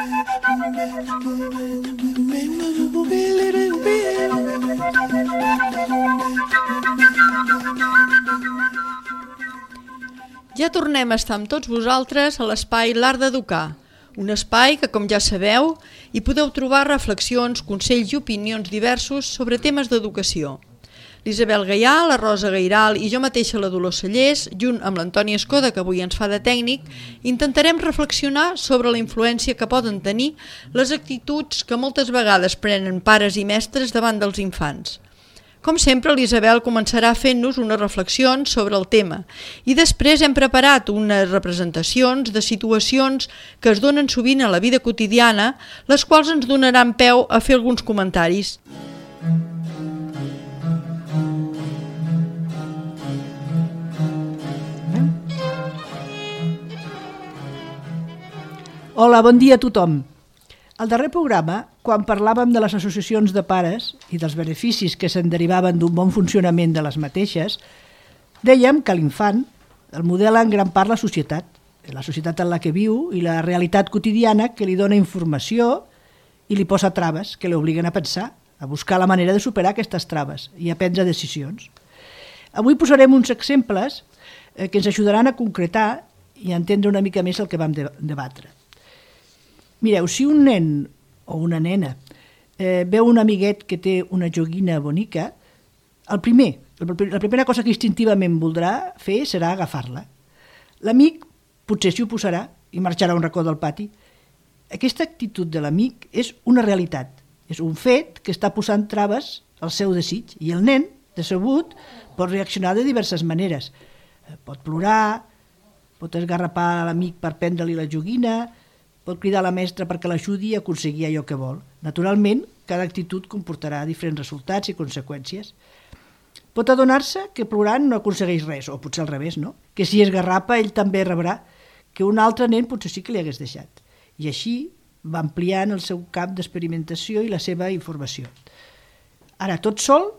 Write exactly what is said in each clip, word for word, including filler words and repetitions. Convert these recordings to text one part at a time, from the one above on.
Ja tornem a estar amb tots vosaltres a l'espai L'Art d'Educar, un espai que, com ja sabeu, hi podeu trobar reflexions, consells i opinions diversos sobre temes d'educació. L'Isabel Gaià, la Rosa Gairal i jo mateixa, la Dolors Cellers, junt amb l'Antoni Escoda, que avui ens fa de tècnic, intentarem reflexionar sobre la influència que poden tenir les actituds que moltes vegades prenen pares i mestres davant dels infants. Com sempre, l'Isabel començarà fent-nos unes reflexions sobre el tema i després hem preparat unes representacions de situacions que es donen sovint a la vida quotidiana, les quals ens donaran peu a fer alguns comentaris. Hola, bon dia a tothom. Al darrer programa, quan parlàvem de les associacions de pares i dels beneficis que se'n derivaven d'un bon funcionament de les mateixes, dèiem que l'infant el modela en gran part la societat, la societat en la que viu i la realitat quotidiana que li dona informació i li posa traves que l'obliguen a pensar, a buscar la manera de superar aquestes traves i a prendre decisions. Avui posarem uns exemples que ens ajudaran a concretar i a entendre una mica més el que vam debatre. Mireu, si un nen o una nena eh, veu un amiguet que té una joguina bonica, el primer, la primera cosa que instintivament voldrà fer serà agafar-la. L'amic potser s'hi oposarà i marxarà a un racó del pati. Aquesta actitud de l'amic és una realitat, és un fet que està posant traves al seu desig i el nen, decebut, pot reaccionar de diverses maneres. Pot plorar, pot esgarrapar l'amic per prendre-li la joguina, pot cridar a la mestra perquè l'ajudi a aconseguir allò que vol. Naturalment, cada actitud comportarà diferents resultats i conseqüències. Pot adonar-se que plorant no aconsegueix res, o potser al revés, no? Que si esgarrapa ell també rebrà, que un altre nen potser sí que li hagués deixat. I així va ampliant el seu camp d'experimentació i la seva informació. Ara, tot sol,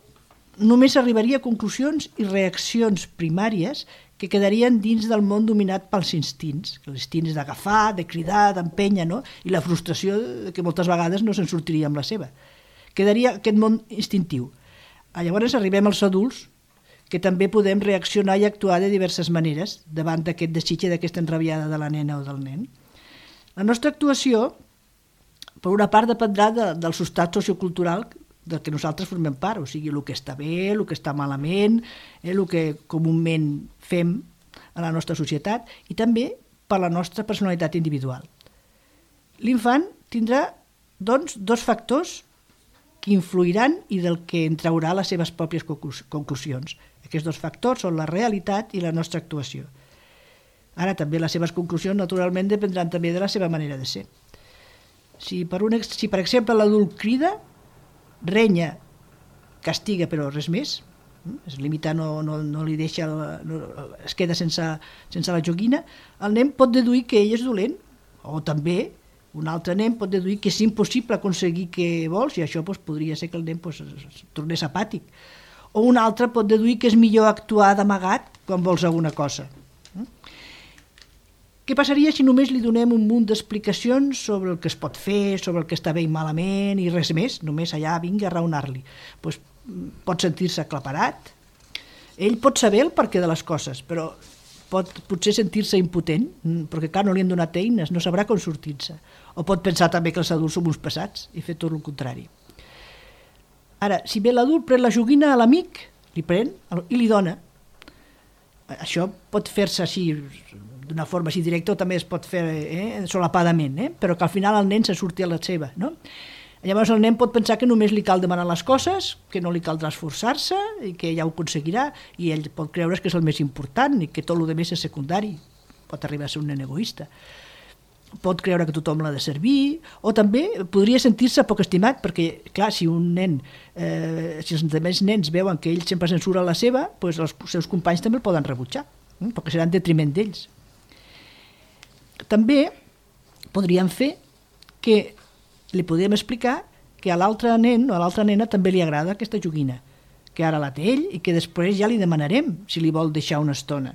només arribaria a conclusions i reaccions primàries que quedarien dins del món dominat pels instints, l'instint és d'agafar, de cridar, d'empènyer, no? I la frustració que moltes vegades no se'n sortiria amb la seva. Quedaria aquest món instintiu. Llavors arribem als adults, que també podem reaccionar i actuar de diverses maneres davant d'aquest desig i d'aquesta enrabiada de la nena o del nen. La nostra actuació, per una part, dependrà de, del substrat sociocultural del que nosaltres formem part, o sigui, el que està bé, el que està malament, eh, el que comúment fem a la nostra societat i també per la nostra personalitat individual. L'infant tindrà, doncs, dos factors que influiran i del que en traurà les seves pròpies conclusions. Aquests dos factors són la realitat i la nostra actuació. Ara també les seves conclusions, naturalment, dependran també de la seva manera de ser. Si, per, un, si, per exemple, l'adult crida, renya, castiga, però res més, es limita, no, no, no li deixa, no, es queda sense, sense la joguina, el nen pot deduir que ell és dolent, o també un altre nen pot deduir que és impossible aconseguir què vols, i això doncs, podria ser que el nen doncs, es tornés apàtic. O un altre pot deduir que és millor actuar d'amagat quan vols alguna cosa. Què passaria si només li donem un munt d'explicacions sobre el que es pot fer, sobre el que està bé i malament i res més, només allà vingui a raonar-li? Pues, pot sentir-se aclaparat, ell pot saber el perquè de les coses, però pot potser sentir-se impotent, perquè clar, no li han donat eines, no sabrà com sortir-se. O pot pensar també que els adults som uns pesats i fer tot el contrari. Ara, si bé l'adult pren la joguina a l'amic, li pren i li dona. Això pot fer-se així, d'una forma així directa, o també es pot fer eh, solapadament, eh? Però que al final el nen se surti a la seva, no? Llavors el nen pot pensar que només li cal demanar les coses, que no li caldrà esforçar-se i que ja ho aconseguirà, i ell pot creure que és el més important i que tot el més és secundari. Pot arribar a ser un nen egoista. Pot creure que tothom l'ha de servir, o també podria sentir-se poc estimat, perquè, clar, si un nen, eh, si els altres nens veuen que ell sempre censura la seva, doncs els seus companys també el poden rebutjar, eh, perquè serà en detriment d'ells. També podríem fer que li podríem explicar que a l'altre nen o a l'altra nena també li agrada aquesta joguina, que ara la té ell i que després ja li demanarem si li vol deixar una estona.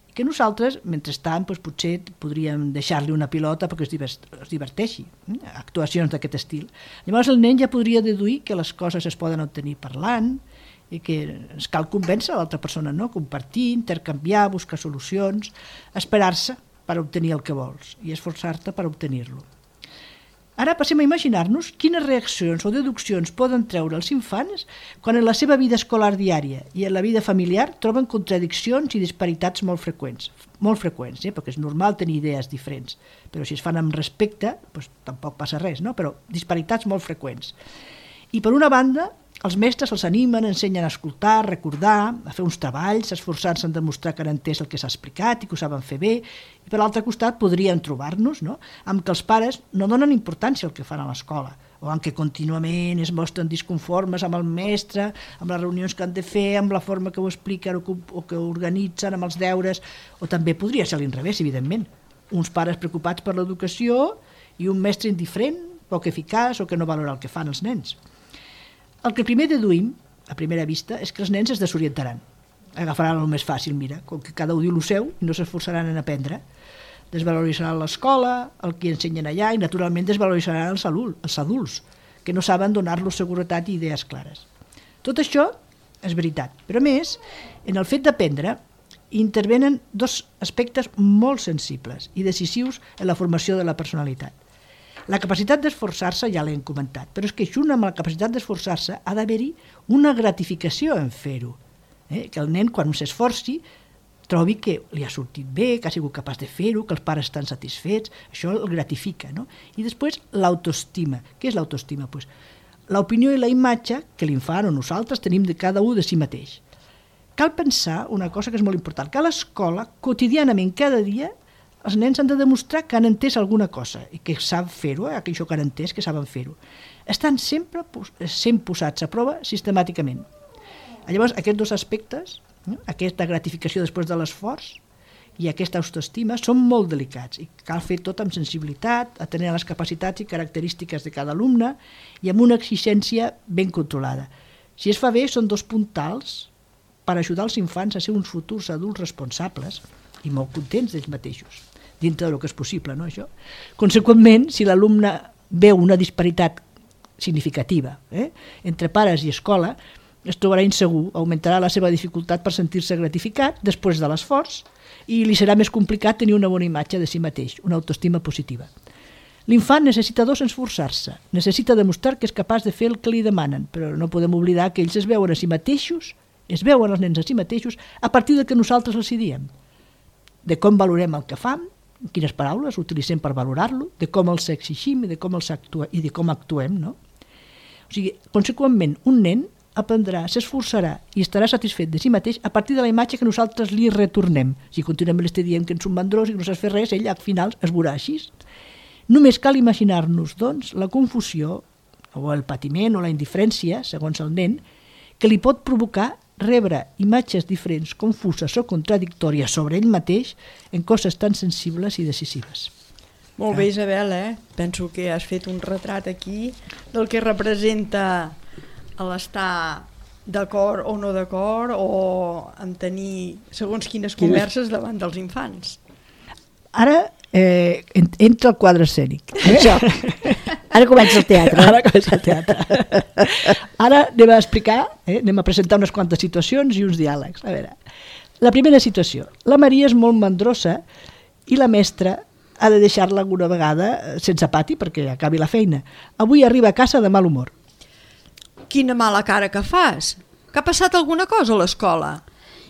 i que nosaltres, mentrestant, doncs, potser podríem deixar-li una pilota perquè es, divert, es diverteixi, eh? Actuacions d'aquest estil. Llavors el nen ja podria deduir que les coses es poden obtenir parlant i que ens cal convèncer l'altra persona, no? Compartir, intercanviar, buscar solucions, esperar-se per obtenir el que vols i esforçar-te per obtenir-lo. Ara passem a imaginar-nos quines reaccions o deduccions poden treure els infants quan en la seva vida escolar diària i en la vida familiar troben contradiccions i disparitats molt freqüents, molt freqüents, eh? Perquè és normal tenir idees diferents, però si es fan amb respecte, doncs tampoc passa res, no? Però disparitats molt freqüents. I per una banda, els mestres els animen, ensenyen a escoltar, a recordar, a fer uns treballs, esforçant-se en demostrar que han entès el que s'ha explicat i que ho saben fer bé. I per l'altre costat podríem trobar-nos, no?, amb que els pares no donen importància al que fan a l'escola, o en què contínuament es mostren disconformes amb el mestre, amb les reunions que han de fer, amb la forma que ho expliquen o que, o que organitzen, amb els deures, o també podria ser a l'inrevés, evidentment. Uns pares preocupats per l'educació i un mestre indiferent, poc eficaç o que no valora el que fan els nens. El que primer deduïm, a primera vista, és que els nens es desorientaran. Agafaran el més fàcil, mira, com que cada un diu el seu i no s'esforçaran en aprendre. Desvaloritzaran l'escola, el que ensenyen allà, i naturalment desvaloritzaran els adults, que no saben donar-los seguretat i idees clares. Tot això és veritat, però a més, en el fet d'aprendre, intervenen dos aspectes molt sensibles i decisius en la formació de la personalitat. La capacitat d'esforçar-se ja l'hem comentat, però és que junt amb la capacitat d'esforçar-se ha d'haver-hi una gratificació en fer-ho. Eh? Que el nen, quan s'esforci, trobi que li ha sortit bé, que ha sigut capaç de fer-ho, que els pares estan satisfets, això el gratifica, no? I després l'autoestima. Què és l'autoestima? Pues, l'opinió i la imatge que l'infant o nosaltres tenim de cada un de si mateix. Cal pensar una cosa que és molt important, que a l'escola, quotidianament, cada dia, els nens han de demostrar que han entès alguna cosa i que saben fer-ho, eh? Això que han entès, que saben fer-ho. Estan sempre sent posats a prova sistemàticament. Llavors, aquests dos aspectes, eh? Aquesta gratificació després de l'esforç i aquesta autoestima, són molt delicats i cal fer tot amb sensibilitat, atenent a les capacitats i característiques de cada alumne i amb una exigència ben controlada. Si es fa bé, són dos puntals per ajudar els infants a ser uns futurs adults responsables i molt contents d'ells mateixos, dintre del que és possible, no, això? Conseqüentment, si l'alumne veu una disparitat significativa eh, entre pares i escola, es trobarà insegur, augmentarà la seva dificultat per sentir-se gratificat després de l'esforç i li serà més complicat tenir una bona imatge de si mateix, una autoestima positiva. L'infant necessita dos esforçar-se, necessita demostrar que és capaç de fer el que li demanen, però no podem oblidar que ells es veuen a si mateixos, es veuen els nens a si mateixos a partir de que nosaltres els hi diem, de com valorem el que fan, quines paraules utilitzem per valorar-lo, de com els exigim i de com, els actua, i de com actuem, no? O sigui, conseqüentment, un nen aprendrà, s'esforçarà i estarà satisfet de si mateix a partir de la imatge que nosaltres li retornem. Si continuem l'estem dient que ens un mandrós i que no saps fer res, ell al final es veurà així. Només cal imaginar-nos, doncs, la confusió o el patiment o la indiferència, segons el nen, que li pot provocar rebre imatges diferents, confuses o contradictòries sobre ell mateix en coses tan sensibles i decisives. Molt bé, Isabel, eh? Penso que has fet un retrat aquí del que representa l'estar d'acord o no d'acord o en tenir segons quines converses davant dels infants. Ara eh, entra el quadre escènic. Eh? Això. Ara comença el teatre. Ara comença el teatre. Ara anem a explicar, eh, anem a presentar unes quantes situacions i uns diàlegs. A veure, la primera situació. La Maria és molt mandrosa i la mestra ha de deixar-la alguna vegada sense pati perquè acabi la feina. Avui arriba a casa de mal humor. Quina mala cara que fas. Que ha passat alguna cosa a l'escola?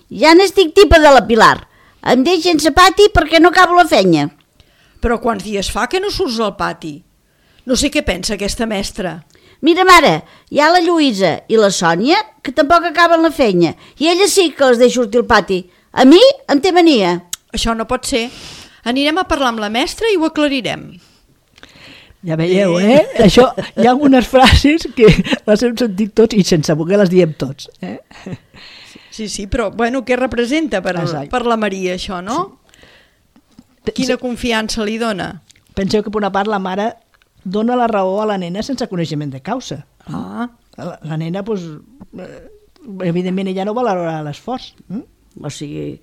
Ja n'estic tipa de la Pilar. Em deix sense pati perquè no acabo la feina. Però quants dies fa que no surts al pati? No sé què pensa aquesta mestra. Mira, mare, hi ha la Lluïsa i la Sònia que tampoc acaben la feina i ella sí que les deixa sortir al pati. A mi em té mania. Això no pot ser. Anirem a parlar amb la mestra i ho aclarirem. Ja veieu, eh? Això, hi ha algunes frases que les hem sentit tots i sense voler les diem tots. Eh? Sí, sí, però bueno, què representa per, el, per la Maria això, no? Sí. Quina confiança li dona? Penseu que per una part la mare dona la raó a la nena sense coneixement de causa. Ah. La, la nena, doncs, evidentment, ella no valorarà l'esforç. Mm? O sigui,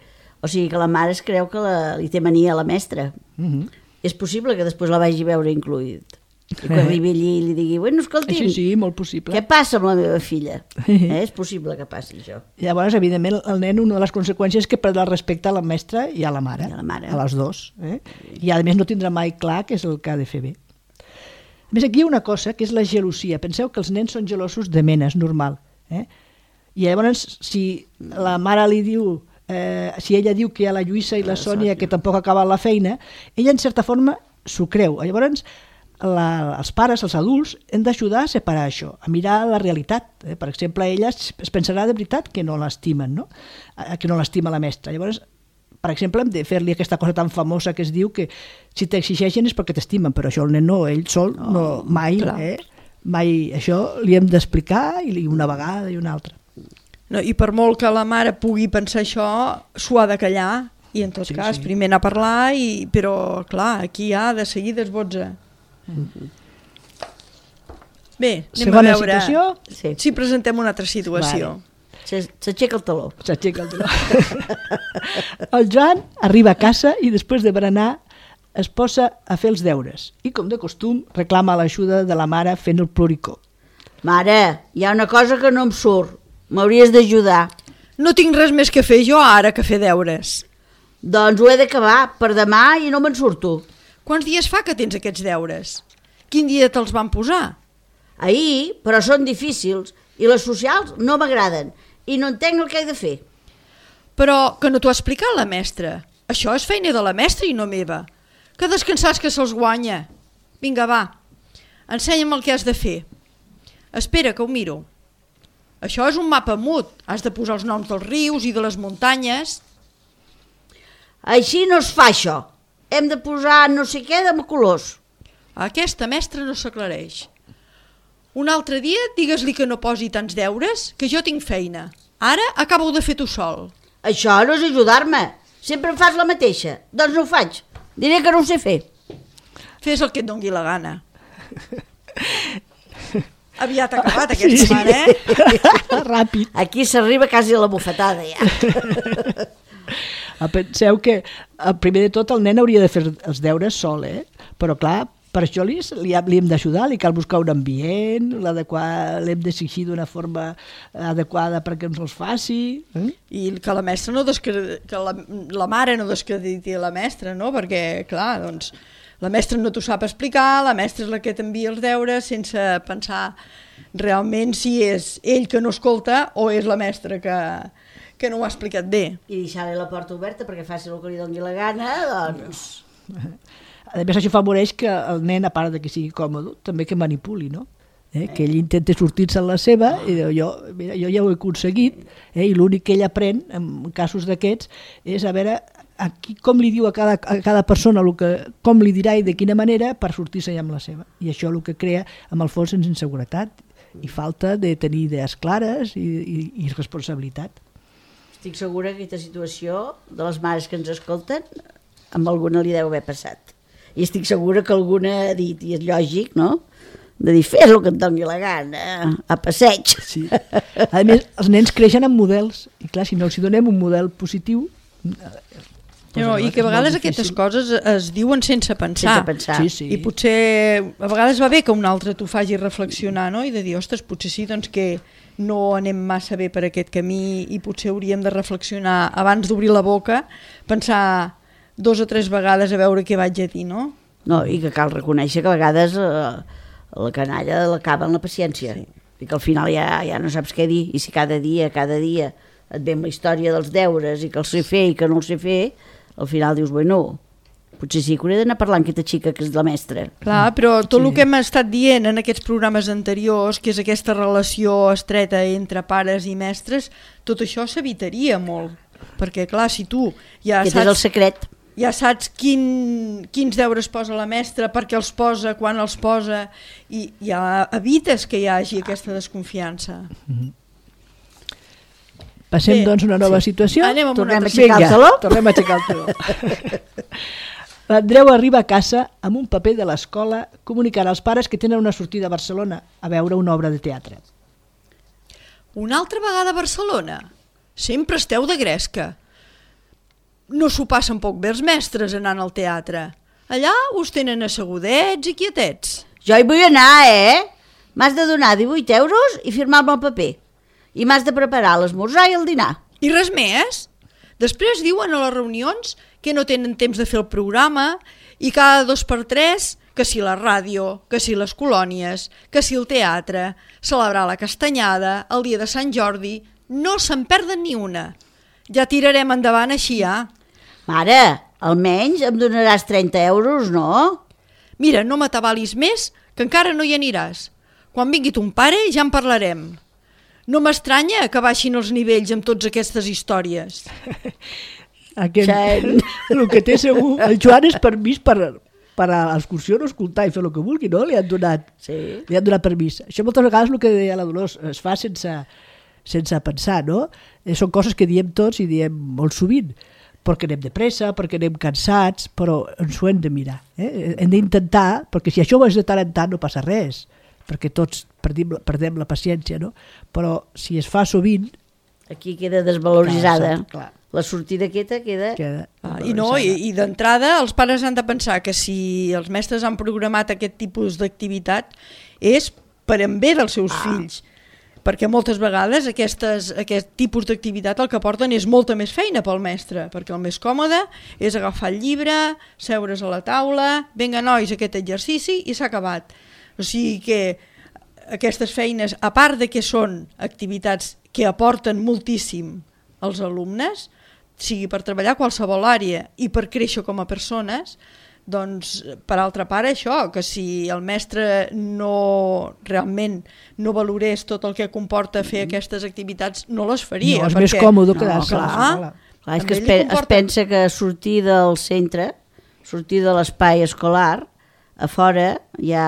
O sigui que la mare es creu que la, li té mania a la mestra. Uh -huh. És possible que després la vagi a veure incluït. I quan arribi allí i li digui, bueno, escolti'm, Sí, sí, molt possible. què passa amb la meva filla? Eh? És possible que passi això. Llavors, evidentment, el nen, una de les conseqüències és que perdrà el respecte a la mestra i a la mare, I a la mare. a les dos. Eh? I a més no tindrà mai clar què és el que ha de fer bé. A més, aquí hi ha una cosa que és la gelosia. Penseu que els nens són gelosos de mena, és normal. Eh? I llavors, si la mare li diu, eh, si ella diu que hi ha la Lluïsa i la Sònia que tampoc ha acabat la feina, ella en certa forma s'ho creu. Llavors, la, els pares, els adults, hem d'ajudar a separar això, a mirar la realitat. Eh? Per exemple, ella es, es pensarà de veritat que no l'estimen, no? Que no l'estima la mestra. Llavors, per exemple, hem de fer-li aquesta cosa tan famosa que es diu que si t'exigeixen és perquè t'estimen, però això el nen no, ell sol no, no mai, eh? mai això li hem d'explicar i una vegada i una altra. No, I per molt que la mare pugui pensar això, s'ho ha de callar i en tot sí, cas sí. primer anar a parlar, i, però clar, aquí ja de seguida es botza. Mm-hmm. Bé, anem Segona a veure situació? Sí. si presentem una altra situació. Vale. Se- S'aixeca el taló. S'aixeca el taló. El Joan arriba a casa i després de berenar es posa a fer els deures i, com de costum, reclama l'ajuda de la mare fent el ploricó. Mare, hi ha una cosa que no em surt. M'hauries d'ajudar. No tinc res més que fer jo ara que fer deures. Doncs ho he d'acabar per demà i no me'n surto. Quants dies fa que tens aquests deures? Quin dia te'ls van posar? Ahir, però són difícils i les socials no m'agraden i no entenc el que he de fer. Però que no t'ho ha explicat la mestra. Això és feina de la mestra i no meva. Que descansats que se'ls guanya. Vinga, va, ensenya'm el que has de fer. Espera, que ho miro. Això és un mapa mut. Has de posar els noms dels rius i de les muntanyes. Així no es fa això. Hem de posar no sé què de colors. Aquesta mestra no s'aclareix. Un altre dia digues-li que no posi tants deures, que jo tinc feina. Ara acabo de fer tu sol. Això no és ajudar-me. Sempre em fas la mateixa. Doncs no ho faig. Diré que no ho sé fer. Fes el que et dongui la gana. Aviat ha acabat aquesta Sí, sí. setmana, eh? Ràpid. Aquí s'arriba quasi a la bufetada, ja. Penseu que, el primer de tot, el nen hauria de fer els deures sol, eh? Però, clar, per això li, li, li hem d'ajudar, li cal buscar un ambient, l'hem d'exigir d'una forma adequada perquè ens els faci. Eh? I que la mestra no descredi... que la, la mare no descrediti la mestra, no? Perquè, clar, doncs, la mestra no t'ho sap explicar, la mestra és la que t'envia els deures sense pensar realment si és ell que no escolta o és la mestra que, que no ho ha explicat bé. I deixar-li la porta oberta perquè faci el que li doni la gana, doncs... A més, això favoreix que el nen, a part de que sigui còmode, també que manipuli, no? Eh? Que ell intenta sortir-se en la seva i diu, jo, mira, jo ja ho he aconseguit, eh? I l'únic que ell aprèn en casos d'aquests és a veure a qui, com li diu a cada, a cada persona el que, com li dirà i de quina manera per sortir-se ja amb la seva. I això el que crea, amb el fons, és inseguretat i falta de tenir idees clares i, i, i responsabilitat. Estic segura que aquesta situació de les mares que ens escolten amb alguna li deu haver passat. I estic segura que alguna ha dit, i és lògic, no?, de dir, fes el que et doni la gana, a passeig. Sí. A més, els nens creixen amb models, i clar, si no els donem un model positiu... No, I que a vegades aquestes coses es diuen sense pensar. Sense pensar. Sí, sí. I potser a vegades va bé que un altre t'ho faci reflexionar, no? I de dir, ostres, potser sí doncs, que no anem massa bé per aquest camí i potser hauríem de reflexionar abans d'obrir la boca, pensar dos o tres vegades a veure què vaig a dir, no? No, i que cal reconèixer que a vegades eh, la canalla l'acaba en la paciència. Sí. I que al final ja, ja no saps què dir, i si cada dia, cada dia et ve amb la història dels deures i que els sé fer i que no els sé fer, al final dius, bueno, potser sí que hauré d'anar parlant amb aquesta xica que és la mestra. Clar, però tot el que hem estat dient en aquests programes anteriors, que és aquesta relació estreta entre pares i mestres, tot això s'evitaria molt. Perquè, clar, si tu ja Aquest saps... és el secret. Ja saps quin, quins deures posa la mestra, per què els posa, quan els posa, i ja evites que hi hagi aquesta desconfiança. Mm-hmm. Passem, Bé, doncs, a una nova sí. situació. Anem amb Tornem una a aixecar el taló? Tornem a aixecar el taló. L'Andreu arriba a casa amb un paper de l'escola comunicant als pares que tenen una sortida a Barcelona a veure una obra de teatre. Una altra vegada a Barcelona? Sempre esteu de gresca. no s'ho passen poc bé els mestres anant al teatre. Allà us tenen assegudets i quietets. Jo hi vull anar, eh? M'has de donar divuit euros i firmar-me el paper. I m'has de preparar l'esmorzar i el dinar. I res més? Després diuen a les reunions que no tenen temps de fer el programa i cada dos per tres, que si la ràdio, que si les colònies, que si el teatre, celebrar la castanyada, el dia de Sant Jordi, no se'n perden ni una. Ja tirarem endavant així, ja. Mare, almenys em donaràs trenta euros, no? Mira, no m'atabalis més, que encara no hi aniràs. Quan vingui ton pare ja en parlarem. No m'estranya que baixin els nivells amb totes aquestes històries. Aquest, el que té segur, el Joan és permís per, per a l'excursió no escoltar i fer el que vulgui, no? Li han donat, sí. li han donat permís. Això moltes vegades el que deia la Dolors es fa sense, sense pensar, no? Són coses que diem tots i diem molt sovint, perquè anem de pressa, perquè anem cansats, però ens ho hem de mirar. Eh? Hem d'intentar, perquè si això ho és de tant en tant no passa res, perquè tots perdem, perdem la paciència, no? Però si es fa sovint... Aquí queda desvaloritzada. Clar, clar. La sortida aquesta queda... queda ah, I no, i, i d'entrada els pares han de pensar que si els mestres han programat aquest tipus d'activitat és per en bé dels seus ah. fills, perquè moltes vegades aquestes, aquest tipus d'activitat el que porten és molta més feina pel mestre, perquè el més còmode és agafar el llibre, seure's a la taula, vinga nois, aquest exercici i s'ha acabat. O sigui que aquestes feines, a part de que són activitats que aporten moltíssim als alumnes, sigui per treballar a qualsevol àrea i per créixer com a persones, doncs per altra part això, que si el mestre no realment no valorés tot el que comporta fer aquestes activitats, no les faria. No, és perquè... més còmode quedar-se. No, clar, clar. clar, és que es, pe comporta... es pensa que sortir del centre, sortir de l'espai escolar, a fora ja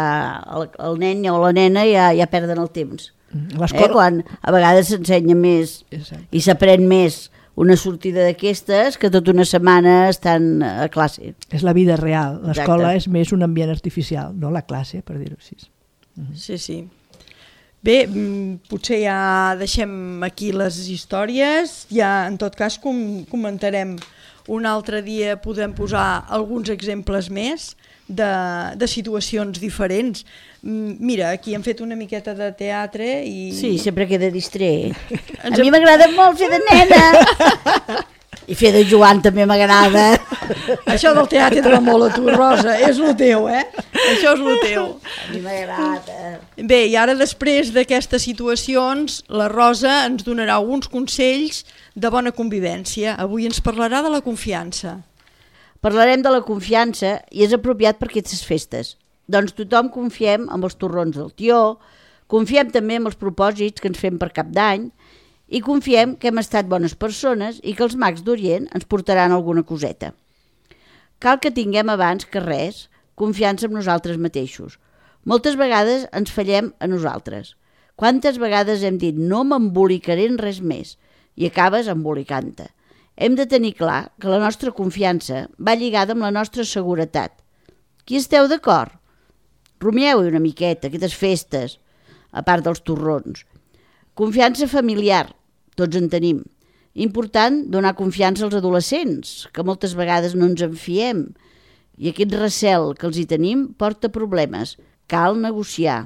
el, el nen o la nena ja, ja perden el temps. Eh? Quan a vegades s'ensenya més Exacte. I s'aprèn més una sortida d'aquestes que tota una setmana estan a classe. És la vida real. L'escola és més un ambient artificial, no la classe, per dir-ho així. Mm-hmm. Sí, sí. Bé, potser ja deixem aquí les històries, ja en tot cas com comentarem un altre dia, podem posar alguns exemples més de, de situacions diferents. Mira, aquí hem fet una miqueta de teatre i... Sí, sempre queda distret. A mi m'agrada molt fer de nena. I fer de Joan també m'agrada. Això del teatre et va molt a tu, Rosa. És el teu, eh? Això és el teu. A mi m'agrada. Bé, i ara després d'aquestes situacions, la Rosa ens donarà alguns consells de bona convivència. Avui ens parlarà de la confiança. Parlarem de la confiança i és apropiat per aquestes festes. Doncs tothom confiem en els torrons del tió, confiem també en els propòsits que ens fem per cap d'any i confiem que hem estat bones persones i que els mags d'Orient ens portaran alguna coseta. Cal que tinguem abans que res confiança en nosaltres mateixos. Moltes vegades ens fallem a nosaltres. Quantes vegades hem dit no m'embolicaré en res més i acabes embolicant-te. Hem de tenir clar que la nostra confiança va lligada amb la nostra seguretat. Qui esteu d'acord? Rumieu-hi una miqueta, aquestes festes, a part dels torrons. Confiança familiar, tots en tenim. Important donar confiança als adolescents, que moltes vegades no ens en fiem. I aquest recel que els hi tenim porta problemes. Cal negociar.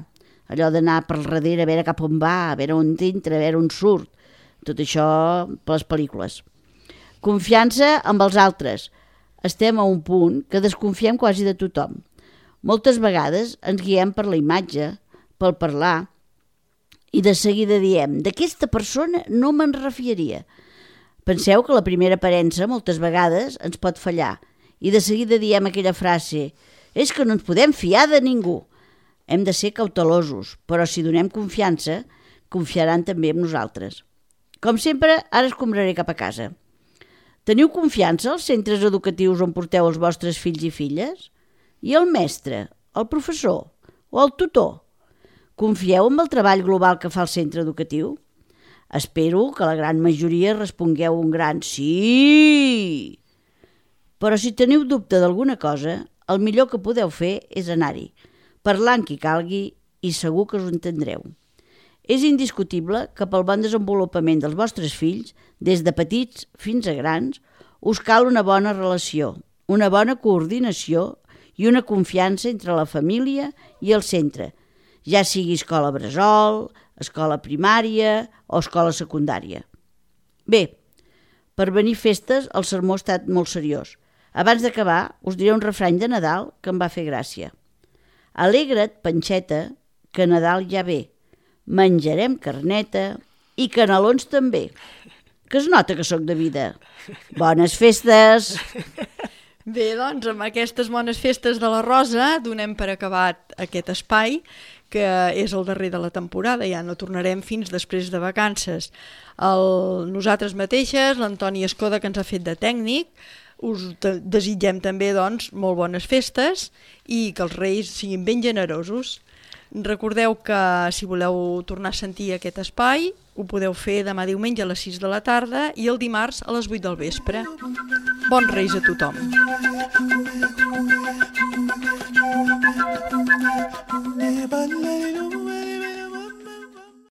Allò d'anar per darrere a veure cap on va, a veure on entra, a veure on surt. Tot això per les pel·lícules. Confiança amb els altres. Estem a un punt que desconfiem quasi de tothom. Moltes vegades ens guiem per la imatge, pel parlar, i de seguida diem, d'aquesta persona no me'n refiaria. Penseu que la primera aparença moltes vegades ens pot fallar, i de seguida diem aquella frase, és que no ens podem fiar de ningú. Hem de ser cautelosos, però si donem confiança, confiaran també en nosaltres. Com sempre, ara escombraré cap a casa. Teniu confiança als centres educatius on porteu els vostres fills i filles? I el mestre, el professor o el tutor? Confieu en el treball global que fa el centre educatiu? Espero que la gran majoria respongueu un gran sí. Però si teniu dubte d'alguna cosa, el millor que podeu fer és anar-hi, parlar amb qui calgui i segur que us entendreu. És indiscutible que pel bon desenvolupament dels vostres fills, des de petits fins a grans, us cal una bona relació, una bona coordinació i una confiança entre la família i el centre, ja sigui escola bressol, escola primària o escola secundària. Bé, per venir festes el sermó ha estat molt seriós. Abans d'acabar us diré un refrany de Nadal que em va fer gràcia. Alegra't, panxeta, que Nadal ja ve. Menjarem carneta i canelons també. Que es nota que sóc de vida. Bones festes! Bé, doncs, amb aquestes bones festes de la Rosa donem per acabat aquest espai, que és el darrer de la temporada, ja no tornarem fins després de vacances. El, nosaltres mateixes, l'Antoni Escoda, que ens ha fet de tècnic, us desitgem també, doncs, molt bones festes i que els Reis siguin ben generosos. Recordeu que si voleu tornar a sentir aquest espai ho podeu fer demà diumenge a les sis de la tarda i el dimarts a les vuit del vespre. Bons Reis a tothom!